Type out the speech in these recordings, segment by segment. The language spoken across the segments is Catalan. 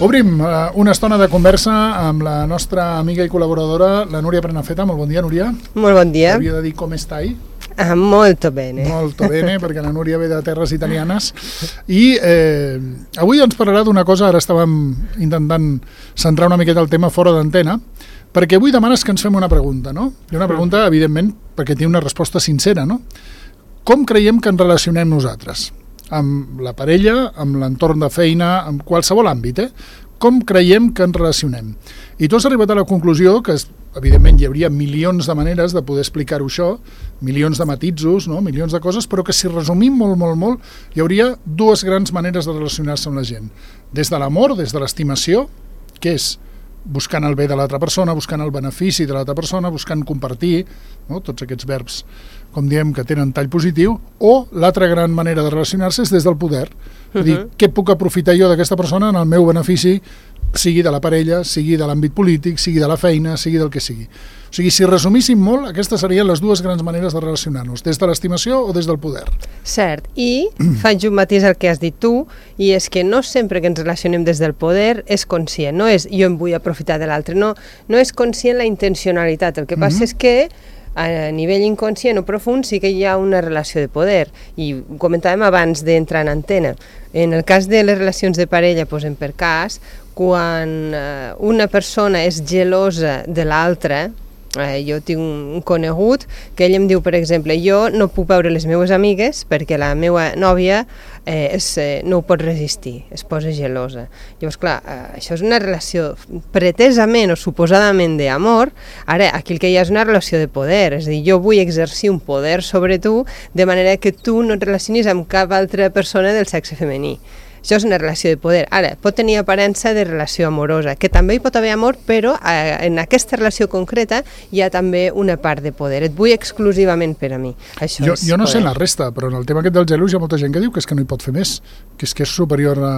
Obrim una estona de conversa amb la nostra amiga i col·laboradora, la Núria Prenafeta. Molt bon dia, Núria. Molt bon dia. Havia de dir com estai. Molto bene. Molto bene, perquè la Núria ve de terres italianes. I avui ens parlarà d'una cosa, ara estàvem intentant centrar una miqueta el tema fora d'antena, perquè avui demanes que ens fem una pregunta, no? I una pregunta, evidentment, perquè té una resposta sincera, no? Com creiem que ens relacionem nosaltres? Amb la parella, amb l'entorn de feina, amb qualsevol àmbit, Com creiem que ens relacionem? I tu has arribat a la conclusió que, evidentment, hi hauria milions de maneres de poder explicar-ho això, milions de matisos, no? Milions de coses, però que si resumim molt, hi hauria dues grans maneres de relacionar-se amb la gent. Des de l'amor, des de l'estimació, que és buscant el bé de l'altra persona, buscant el benefici de l'altra persona, buscant compartir, no? Tots aquests verbs, com diem, que tenen tall positiu, o l'altra gran manera de relacionar-se és des del poder. És dir, què puc aprofitar jo d'aquesta persona en el meu benefici, sigui de la parella, sigui de l'àmbit polític, sigui de la feina, sigui del que sigui. O sigui, si resumíssim molt, aquestes serien les dues grans maneres de relacionar-nos, des de l'estimació o des del poder. Cert, i faig un matís al que has dit tu, i és que no sempre que ens relacionem des del poder és conscient, no és jo em vull aprofitar de l'altre, no és conscient la intencionalitat, el que passa és que a nivell inconscient o profund sí que hi ha una relació de poder, i ho comentàvem abans d'entrar en antena. En el cas de les relacions de parella, posem per cas, quan una persona és gelosa de l'altra, jo tinc un conegut que ell em diu, per exemple, jo no puc veure les meves amigues perquè la meva nòvia no ho pot resistir, es posa gelosa. Llavors, clar, això és una relació pretesament o suposadament d'amor. Ara, aquí el que hi ha és una relació de poder, és a dir, jo vull exercir un poder sobre tu de manera que tu no et relacionis amb cap altra persona del sexe femení. Això és una relació de poder. Ara, pot tenir aparença de relació amorosa, que també hi pot haver amor, però en aquesta relació concreta hi ha també una part de poder. Et vull exclusivament per a mi. Jo no sé la resta, però en el tema aquest del gelos hi ha molta gent que diu que és que no hi pot fer més, que és superior a...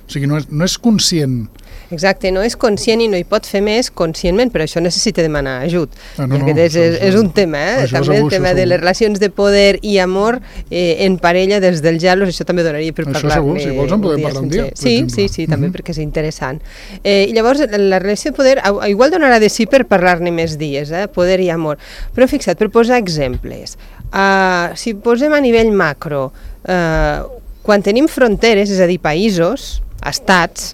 O sigui, no és conscient. Exacte, no és conscient i no hi pot fer més conscientment, però això necessita demanar ajut. És un tema, també el tema de les relacions de poder i amor en parella des del gelos, això també donaria per parlar-ne. Això segur, si vols en podem parlar un dia. Sí, també perquè és interessant. I llavors, la relació de poder, igual donarà de sí per parlar-ne més dies, poder i amor. Però fixa't, per posar exemples, si posem a nivell macro, quan tenim fronteres, és a dir, països, estats,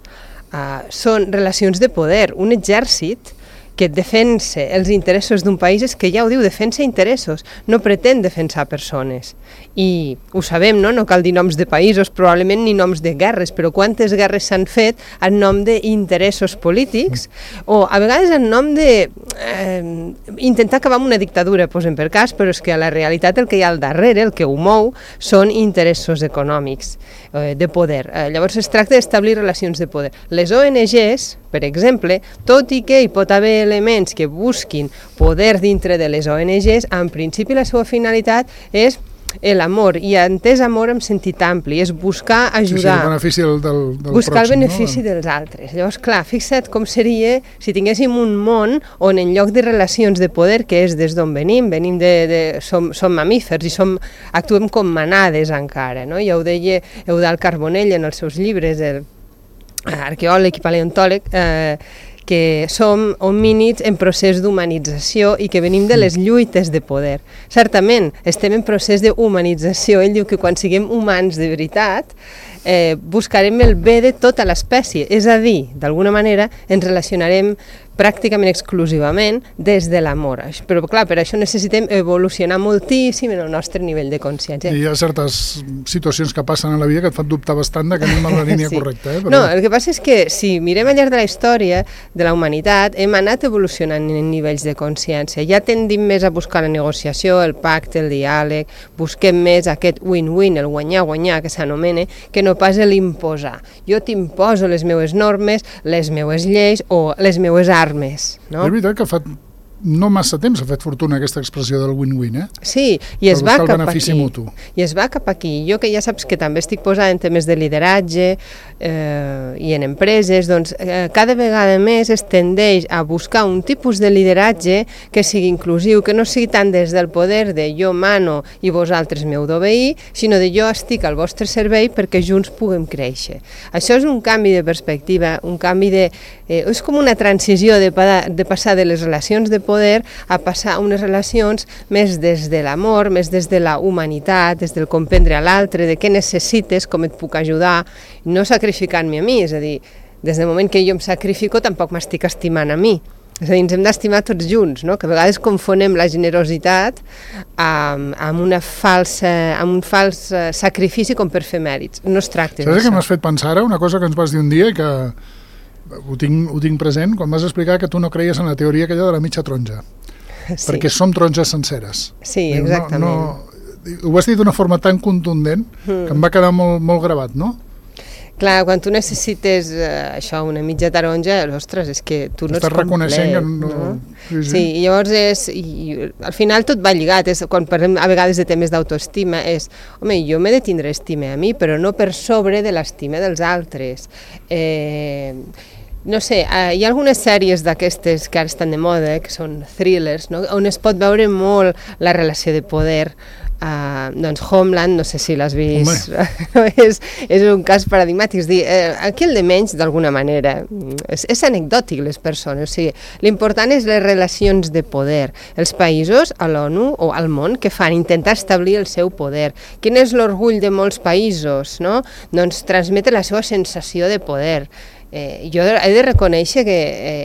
són relacions de poder. Un exèrcit que defensa els interessos d'un país és que ja ho diu, defensa interessos, no pretén defensar persones. I ho sabem, no cal dir noms de països, probablement ni noms de guerres, però quantes guerres s'han fet en nom d'interessos polítics o a vegades en nom de intentar acabar amb una dictadura, posem per cas, però és que a la realitat el que hi ha al darrere, el que ho mou, són interessos econòmics, de poder. Llavors es tracta d'establir relacions de poder. Les ONGs, per exemple, tot i que hi pot haver elements que busquin poder dintre de les ONGs, en principi la seva finalitat és l'amor, i entès amor en sentit ampli, és buscar ajudar, el benefici del buscar pròxim, el benefici dels altres. Llavors, clar, fixa't com seria si tinguéssim un món on en lloc de relacions de poder, que és des d'on venim som mamífers i actuem com manades encara, no? Ja ho deia Eudald Carbonell en els seus llibres, arqueòleg i paleontòleg, que som homínids en procés d'humanització i que venim de les lluites de poder. Certament, estem en procés d'humanització. Ell diu que quan siguem humans de veritat, buscarem el bé de tota l'espècie, és a dir, d'alguna manera ens relacionarem pràcticament exclusivament des de l'amor. Però clar, per això necessitem evolucionar moltíssim en el nostre nivell de consciència. I hi ha certes situacions que passen a la vida que et fan dubtar bastant que anem a la línia correcta. Però... No, el que passa és que si mirem al llarg de la història de la humanitat, hem anat evolucionant en nivells de consciència. Ja tendim més a buscar la negociació, el pacte, el diàleg, busquem més aquest win-win, el guanyar-guanyar que s'anomena, que no pas l'imposar. Jo t'imposo les meues normes, les meues lleis o les meues armes. No? És veritat que fa no massa temps ha fet fortuna aquesta expressió del win-win, Sí, i es va cap benefici aquí. mutu. I es va cap aquí. Jo, que ja saps que també estic posada en temes de lideratge i en empreses, doncs cada vegada més es tendeix a buscar un tipus de lideratge que sigui inclusiu, que no sigui tant des del poder de jo mano i vosaltres m'heu d'obeir, sinó de jo estic al vostre servei perquè junts puguem créixer. Això és un canvi de perspectiva, un canvi de... és com una transició de passar de les relacions de poder a passar a unes relacions més des de l'amor, més des de la humanitat, des del comprendre a l'altre, de què necessites, com et puc ajudar, no sacrificant-me a mi, és a dir, des del moment que jo em sacrifico tampoc m'estic estimant a mi. És a dir, ens hem d'estimar tots junts, no? Que a vegades confonem la generositat amb un fals sacrifici com per fer mèrits. No es tracta d'això. Saps què m'has fet pensar ara? Una cosa que ens vas dir un dia i que ho tinc present quan vas explicar que tu no creies en la teoria aquella de la mitja taronja. Sí. Perquè som taronges senceres. Sí, exactament. Ho vas dir d'una forma tan contundent que em va quedar molt, molt gravat, no? Clar, quan tu necessites això, una mitja taronja, ostres, és que tu no ets complet. Estàs reconeixent que no... Sí, i llavors al final tot va lligat, quan parlem a vegades de temes d'autoestima, home, jo m'he de tindre estima a mi, però no per sobre de l'estima dels altres. No sé, hi ha algunes sèries d'aquestes que ara estan de moda, que són thrillers, no? On es pot veure molt la relació de poder. Doncs Homeland, no sé si l'has vist, és un cas paradigmàtic, és dir, aquí el de menys d'alguna manera és anecdòtic les persones, o sigui, l'important és les relacions de poder, els països a l'ONU o al món que fan, intentar establir el seu poder. Quin és l'orgull de molts països, no? Doncs transmetre la seva sensació de poder. Jo he de reconèixer que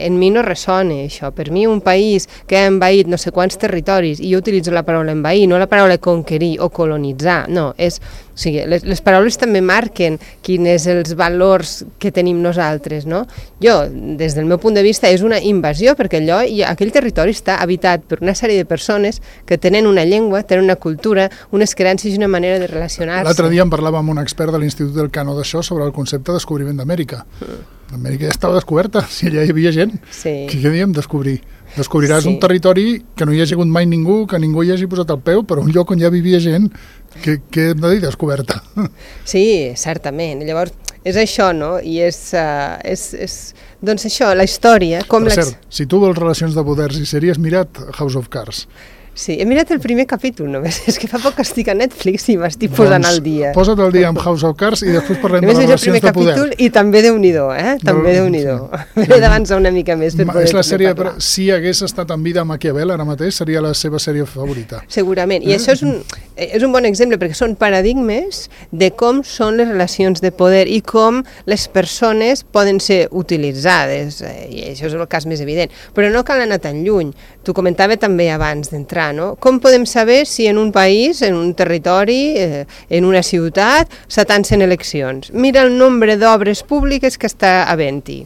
en mi no ressona això. Per mi un país que ha envaït no sé quants territoris, i jo utilitzo la paraula envair, no la paraula conquerir o colonitzar, no, o sigui, les paraules també marquen quins els valors que tenim nosaltres, no? Jo, des del meu punt de vista, és una invasió, perquè aquell territori està habitat per una sèrie de persones que tenen una llengua, tenen una cultura, unes creences i una manera de relacionar-se. L'altre dia en parlàvem amb un expert de l'Institut del Cano d'això sobre el concepte de descobriment d'Amèrica. Amèrica ja estava descoberta, si allà hi havia gent. Sí. Què diem descobrir? Descobriràs un territori que no hi ha hagut mai ningú, que ningú hi hagi posat el peu, però un lloc on ja vivia gent, que hem de dir descoberta. Sí, certament. Llavors, és això, no? I és doncs això, la història... Per cert, si tu vols relacions de poders i sèries, mira't House of Cards. Sí, he mirat el primer capítol només, és que fa poc que estic a Netflix i m'estic posant al dia. Posa't al dia amb House of Cards i després parlem de les relacions de poder. I també Déu-n'hi-do, també Déu-n'hi-do. M'he d'avançar una mica més per poder parlar. Si hagués estat en vida Maquiavel ara mateix, seria la seva sèrie favorita. Segurament, i això és un bon exemple, perquè són paradigmes de com són les relacions de poder i com les persones poden ser utilitzades, i això és el cas més evident. Però no cal anar tan lluny. T'ho comentava també abans d'entrar, no? Com podem saber si en un país, en un territori, en una ciutat, s'atancen eleccions? Mira el nombre d'obres públiques que està havent-hi.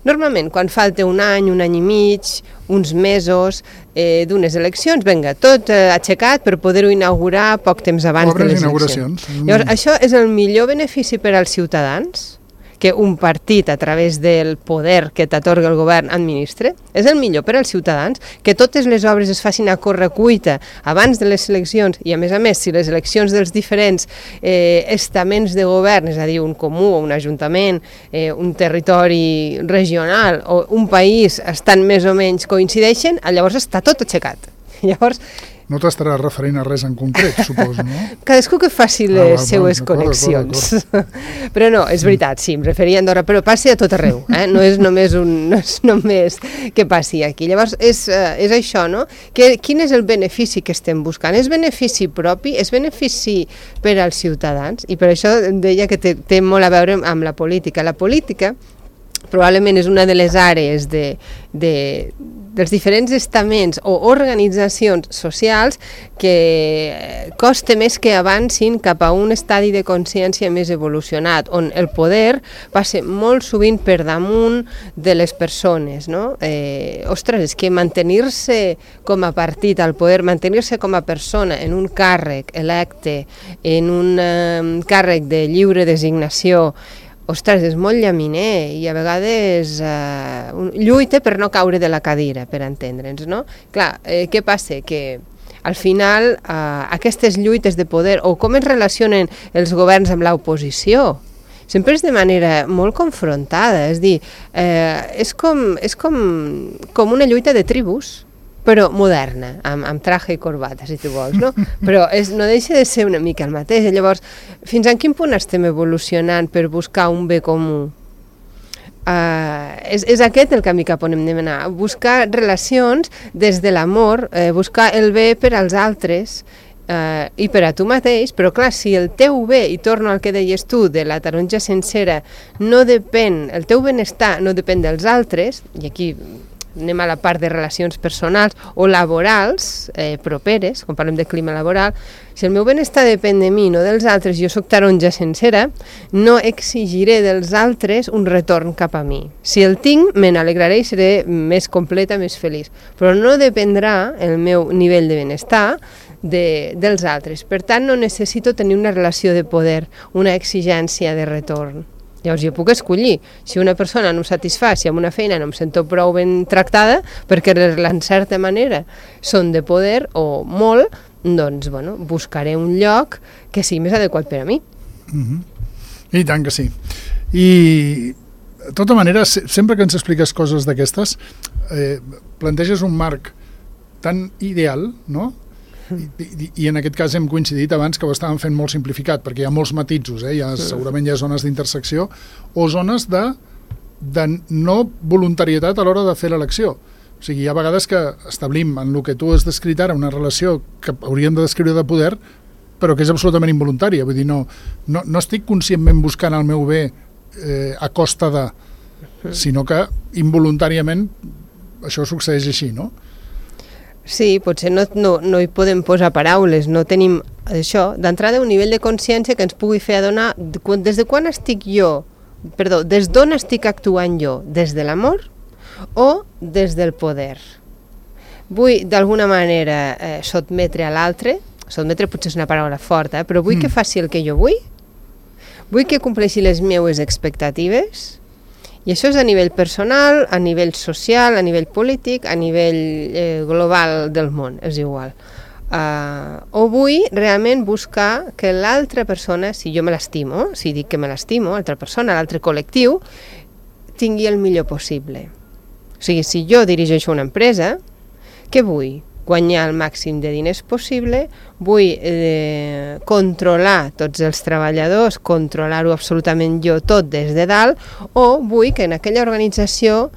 Normalment, quan falta un any i mig, uns mesos d'unes eleccions, vinga, tot aixecat per poder-ho inaugurar poc temps abans de les eleccions. Llavors, això és el millor benefici per als ciutadans? Que un partit a través del poder que t'atorga el govern administre, és el millor per als ciutadans, que totes les obres es facin a correcuita abans de les eleccions, i a més, si les eleccions dels diferents estaments de govern, és a dir, un comú o un ajuntament, un territori regional o un país estan més o menys coincideixen, llavors està tot aixecat. Llavors, no t'estaràs referint a res en concret, suposo, no? Cadascú que faci les seues connexions. Però no, és veritat, sí, em referia a Andorra, però passi a tot arreu, no és només que passi aquí. Llavors, és això, no? Quin és el benefici que estem buscant? És benefici propi? És benefici per als ciutadans? I per això deia que té molt a veure amb la política. La política probablement és una de les àrees dels diferents estaments o organitzacions socials que costa més que avancin cap a un estadi de consciència més evolucionat, on el poder passa molt sovint per damunt de les persones, no? Ostres, és que mantenir-se com a partit al poder, mantenir-se com a persona en un càrrec electe, en un càrrec de lliure designació, ostres, és molt llaminer i a vegades lluita per no caure de la cadira, per entendre'ns, no? Clar, què passa? Que al final aquestes lluites de poder, o com es relacionen els governs amb l'oposició, sempre és de manera molt confrontada, és dir, és com una lluita de tribus, però moderna, amb traje i corbata, si tu vols, no? Però no deixa de ser una mica el mateix. Llavors, fins a quin punt estem evolucionant per buscar un bé comú? És aquest el camí cap on hem d'anar, buscar relacions des de l'amor, buscar el bé per als altres, i per a tu mateix, però clar, si el teu bé, i torno al que deies tu, de la taronja sencera, el teu benestar no depèn dels altres, i aquí anem a la part de relacions personals o laborals properes, quan parlem de clima laboral, si el meu benestar depèn de mi, no dels altres, jo sóc taronja sencera, no exigiré dels altres un retorn cap a mi. Si el tinc, me n'alegraré i seré més completa, més feliç. Però no dependrà el meu nivell de benestar dels altres. Per tant, no necessito tenir una relació de poder, una exigència de retorn. Llavors jo puc escollir, si una persona no em satisfà, si amb una feina no em sento prou ben tractada, perquè en certa manera són de poder o molt, doncs bueno, buscaré un lloc que sigui més adequat per a mi. I tant que sí. I de tota manera, sempre que ens expliques coses d'aquestes, planteges un marc tan ideal, no? I en aquest cas hem coincidit abans que ho estàvem fent molt simplificat, perquè hi ha molts matisos, segurament hi ha zones d'intersecció o zones de no voluntarietat a l'hora de fer l'elecció. O sigui, hi ha vegades que establim en el que tu has descrit ara una relació que hauríem de descriure de poder, però que és absolutament involuntària. Vull dir, no estic conscientment buscant el meu bé a costa de, sinó que involuntàriament això succeeix així, no? Sí, potser no hi podem posar paraules, no tenim això, d'entrada un nivell de consciència que ens pugui fer adonar des d'on estic actuant jo, des de l'amor o des del poder. Vull d'alguna manera sotmetre a l'altre, sotmetre potser és una paraula forta, però vull que faci el que jo vull que compleixi les meues expectatives. I això és a nivell personal, a nivell social, a nivell polític, a nivell global del món, és igual. O vull realment buscar que l'altra persona, si jo me l'estimo, si dic que me l'estimo, l'altra persona, l'altre col·lectiu, tingui el millor possible. O sigui, si jo dirigeixo una empresa, què vull? Guanyar el màxim de diners possible, vull controlar tots els treballadors, controlar-ho absolutament jo tot des de dalt, o vull que en aquella organització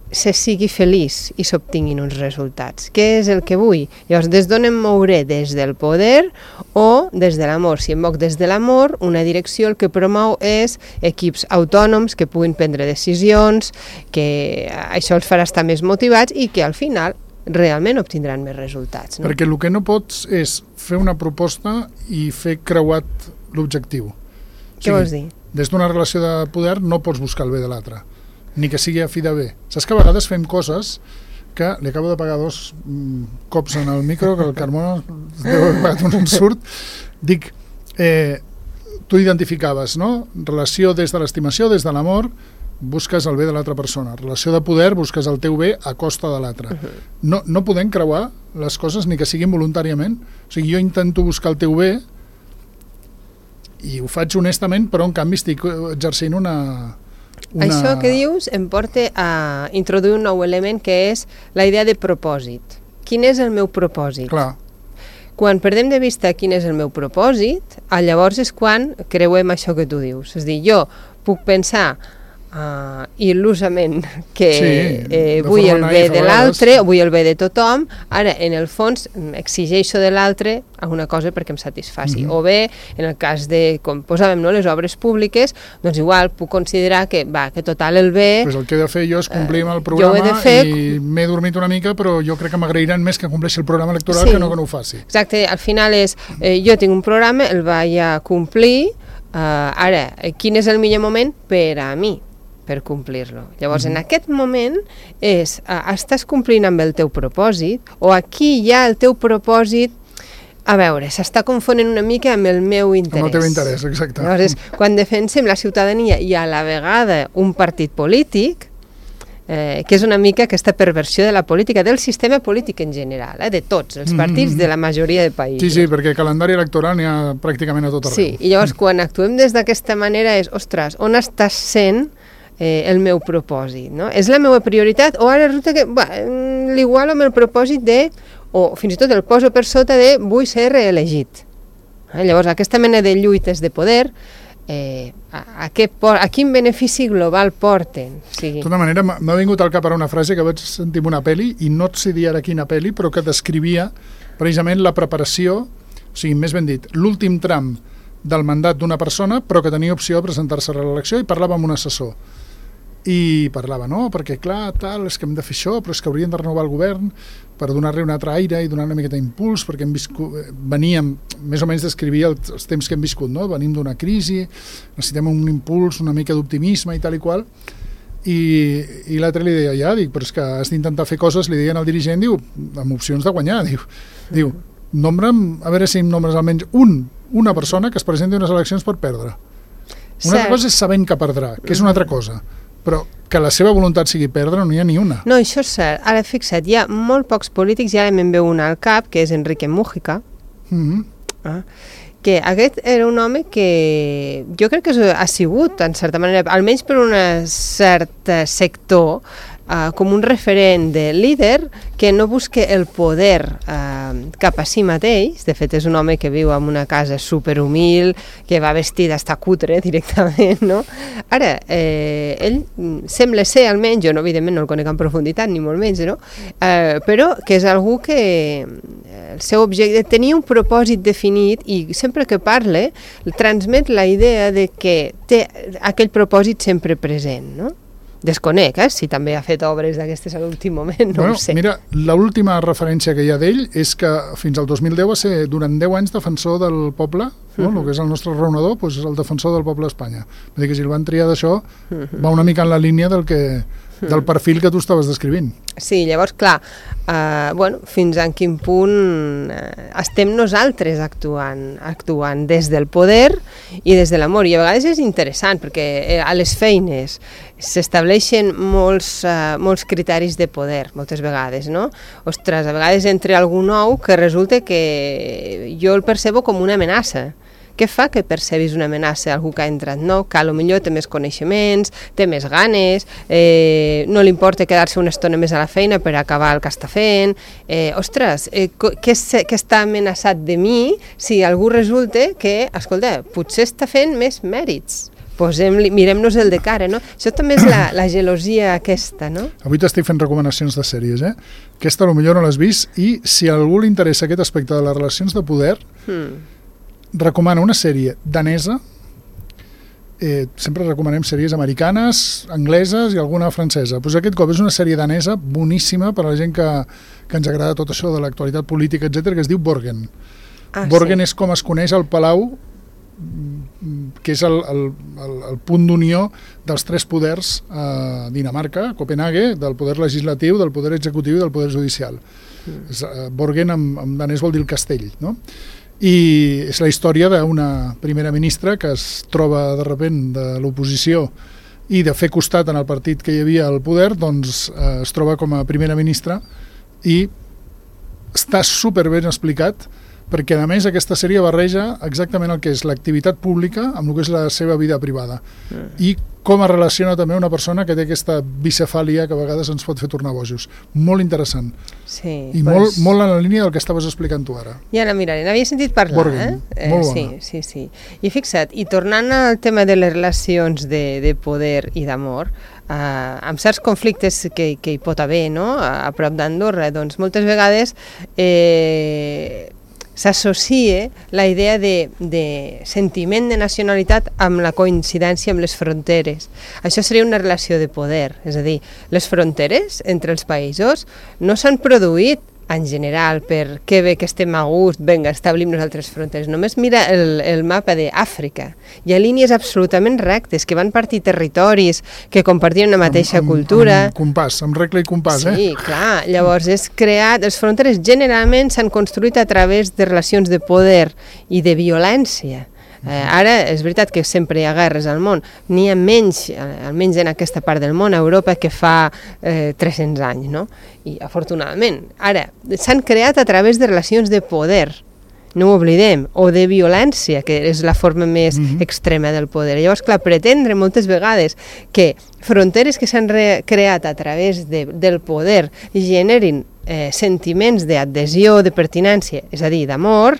se sigui feliç i s'obtinguin uns resultats. Què és el que vull? Llavors, des d'on em mouré? Des del poder o des de l'amor? Si em moc des de l'amor, una direcció el que promou és equips autònoms que puguin prendre decisions, que això els farà estar més motivats i que al final realment obtindran més resultats. No? Perquè el que no pots és fer una proposta i fer creuat l'objectiu. Què vols dir? Des d'una relació de poder no pots buscar el bé de l'altre, ni que sigui a fi de bé. Saps que a vegades fem coses que li acabo de pagar 2 cops en el micro, que el Carmona deu haver pagat un ensurt. Dic, tu identificaves, no? Relació des de l'estimació, des de l'amor, busques el bé de l'altra persona. Relació de poder, busques el teu bé a costa de l'altre. No podem creuar les coses ni que siguin voluntàriament. O sigui, jo intento buscar el teu bé i ho faig honestament, però en canvi estic exercint una... Això que dius em porta a introduir un nou element que és la idea de propòsit. Quin és el meu propòsit? Clar. Quan perdem de vista quin és el meu propòsit, llavors és quan creuem això que tu dius. És a dir, jo puc pensar il·lusament que vull el bé de l'altre, vull el bé de tothom, ara en el fons exigeixo de l'altre alguna cosa perquè em satisfaci. O bé, en el cas de, com posàvem, les obres públiques, doncs igual puc considerar que total el bé... Pues el que he de fer jo és complir amb el programa i m'he dormit una mica, però jo crec que m'agrairan més que compleixi el programa electoral que no ho faci. Exacte, al final és, jo tinc un programa, el vaig a complir, ara, quin és el millor moment per a mi? Per complir-lo. Llavors, en aquest moment estàs complint amb el teu propòsit o aquí ja el teu propòsit A veure, s'està confonent una mica amb el meu interès. Amb el teu interès, exacte. Llavors, quan defensem la ciutadania i a la vegada un partit polític, que és una mica aquesta perversió de la política, del sistema polític en general, de tots els partits, de la majoria de països. Sí, perquè calendari electoral n'hi ha pràcticament a tot arreu. Sí, i llavors quan actuem des d'aquesta manera és, ostres, on està sent el meu propòsit, no? És la meva prioritat o ara resulta que l'igualo amb el propòsit de, o fins i tot el poso per sota de vull ser reelegit. Llavors aquesta mena de lluites de poder a quin benefici global porten? De tota manera, m'ha vingut al cap ara una frase que vaig sentir en una pel·li, i no et sé dir ara quina pel·li, però que descrivia precisament la preparació, o sigui, més ben dit, l'últim tram del mandat d'una persona, però que tenia opció de presentar-se a l'elecció, i parlava amb un assessor. I parlava, no, perquè clar, tal, és que hem de fer això, però és que haurien de renovar el govern per donar-li un altre aire i donar una miqueta d'impuls, perquè veníem, més o menys descrivia els temps que hem viscut, no? Venim d'una crisi, necessitem un impuls, una mica d'optimisme i tal i qual, i l'altre li deia, però és que has d'intentar fer coses, li deien al dirigent, diu, amb opcions de guanyar, diu, nombra'm, a veure si em nombres almenys una persona que es presenti a unes eleccions per perdre. Una altra cosa és sabent que perdrà, que és una altra cosa, però que la seva voluntat sigui perdre no n'hi ha ni una. No, això és cert. Ara, fixa't, hi ha molt pocs polítics, i ara me'n veu un al cap, que és Enrique Mújica, que aquest era un home que jo crec que ha sigut, en certa manera, almenys per un cert sector, com un referent de líder que no busca el poder cap a si mateix. De fet, és un home que viu en una casa superhumil, que va vestit d'estar cutre directament, no? Ara, ell sembla ser, almenys, jo no, evidentment no el conec en profunditat, ni molt menys, no? Però que és algú que el seu objecte tenia un propòsit definit i sempre que parla transmet la idea de que té aquell propòsit sempre present, no? Desconec, si també ha fet obres d'aquestes a l'últim moment, no ho sé. Mira, l'última referència que hi ha d'ell és que fins al 2010 va ser durant 10 anys defensor del poble, el que és el nostre raonador, és el defensor del poble d'Espanya. Vull dir que si el van triar d'això, va una mica en la línia del perfil que tu estaves descrivint. Sí, llavors, clar, fins a quin punt estem nosaltres actuant des del poder i des de l'amor. I a vegades és interessant, perquè a les feines s'estableixen molts criteris de poder, moltes vegades, no? Ostres, a vegades entra algú nou que resulta que jo el percebo com una amenaça. Què fa que percebis una amenaça a algú que ha entrat nou, que potser té més coneixements, té més ganes, no li importa quedar-se una estona més a la feina per acabar el que està fent? Què està amenaçat de mi si algú resulta que, escolta, potser està fent més mèrits? Mirem-nos el de cara, no? Això també és la gelosia aquesta, no? Avui t'estic fent recomanacions de sèries, Aquesta potser no l'has vist, i si a algú li interessa aquest aspecte de les relacions de poder, recomana una sèrie danesa, sempre recomanem sèries americanes, angleses i alguna francesa. Aquest cop és una sèrie danesa boníssima per a la gent que ens agrada tot això de l'actualitat política, etc, que es diu Borgen. Borgen és com es coneix el Palau, que és el punt d'unió dels tres poders a Dinamarca, a Copenhague, del poder legislatiu, del poder executiu i del poder judicial. Borgen en danès vol dir el castell, no? I és la història d'una primera ministra que es troba de sobte de l'oposició i de fer costat en el partit que hi havia al poder, doncs es troba com a primera ministra, i està superben explicat, perquè a més aquesta sèrie barreja exactament el que és l'activitat pública amb el que és la seva vida privada i com es relaciona també una persona que té aquesta bicefàlia que a vegades ens pot fer tornar bojos. Molt interessant. Sí, i molt en la línia del que estaves explicant tu ara. Ja la miraré, n'havia sentit parlar. Borgen, molt bona. Sí. I fixa't, i tornant al tema de les relacions de poder i d'amor, amb certs conflictes que hi pot haver, no?, a prop d'Andorra, doncs moltes vegades s'associa la idea de sentiment de nacionalitat amb la coincidència amb les fronteres. Això seria una relació de poder, és a dir, les fronteres entre els països no s'han produït en general, per què bé que estem a gust, vinga, establim nosaltres fronteres. Només mira el mapa d'Àfrica. Hi ha línies absolutament rectes que van partir territoris que compartien una mateixa cultura. Amb compàs, amb regla i compàs, Sí, clar. Llavors, les fronteres generalment s'han construït a través de relacions de poder i de violència. Ara és veritat que sempre hi ha guerres al món, n'hi ha menys, almenys en aquesta part del món, a Europa, que fa 300 anys, no? I afortunadament. Ara, s'han creat a través de relacions de poder, no ho oblidem, o de violència, que és la forma més extrema del poder. Llavors, clar, pretendre moltes vegades que fronteres que s'han creat a través del poder generin sentiments d'adhesió, de pertinència, és a dir, d'amor,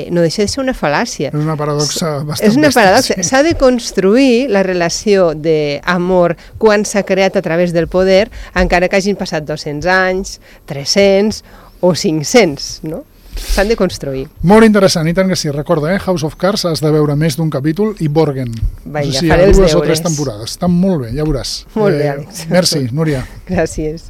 no deixa de ser una fal·làcia. És una paradoxa bastant És una paradoxa. S'ha de construir la relació d'amor quan s'ha creat a través del poder, encara que hagin passat 200 anys, 300 o 500, no? S'han de construir. Molt interessant, i tant que sí. Recorda, House of Cards has de veure més d'un capítol i Borgen. Vinga, faré els deures. 2 o 3 temporades. Estan molt bé, ja veuràs. Molt bé, Àlex. Merci, Núria. Gràcies.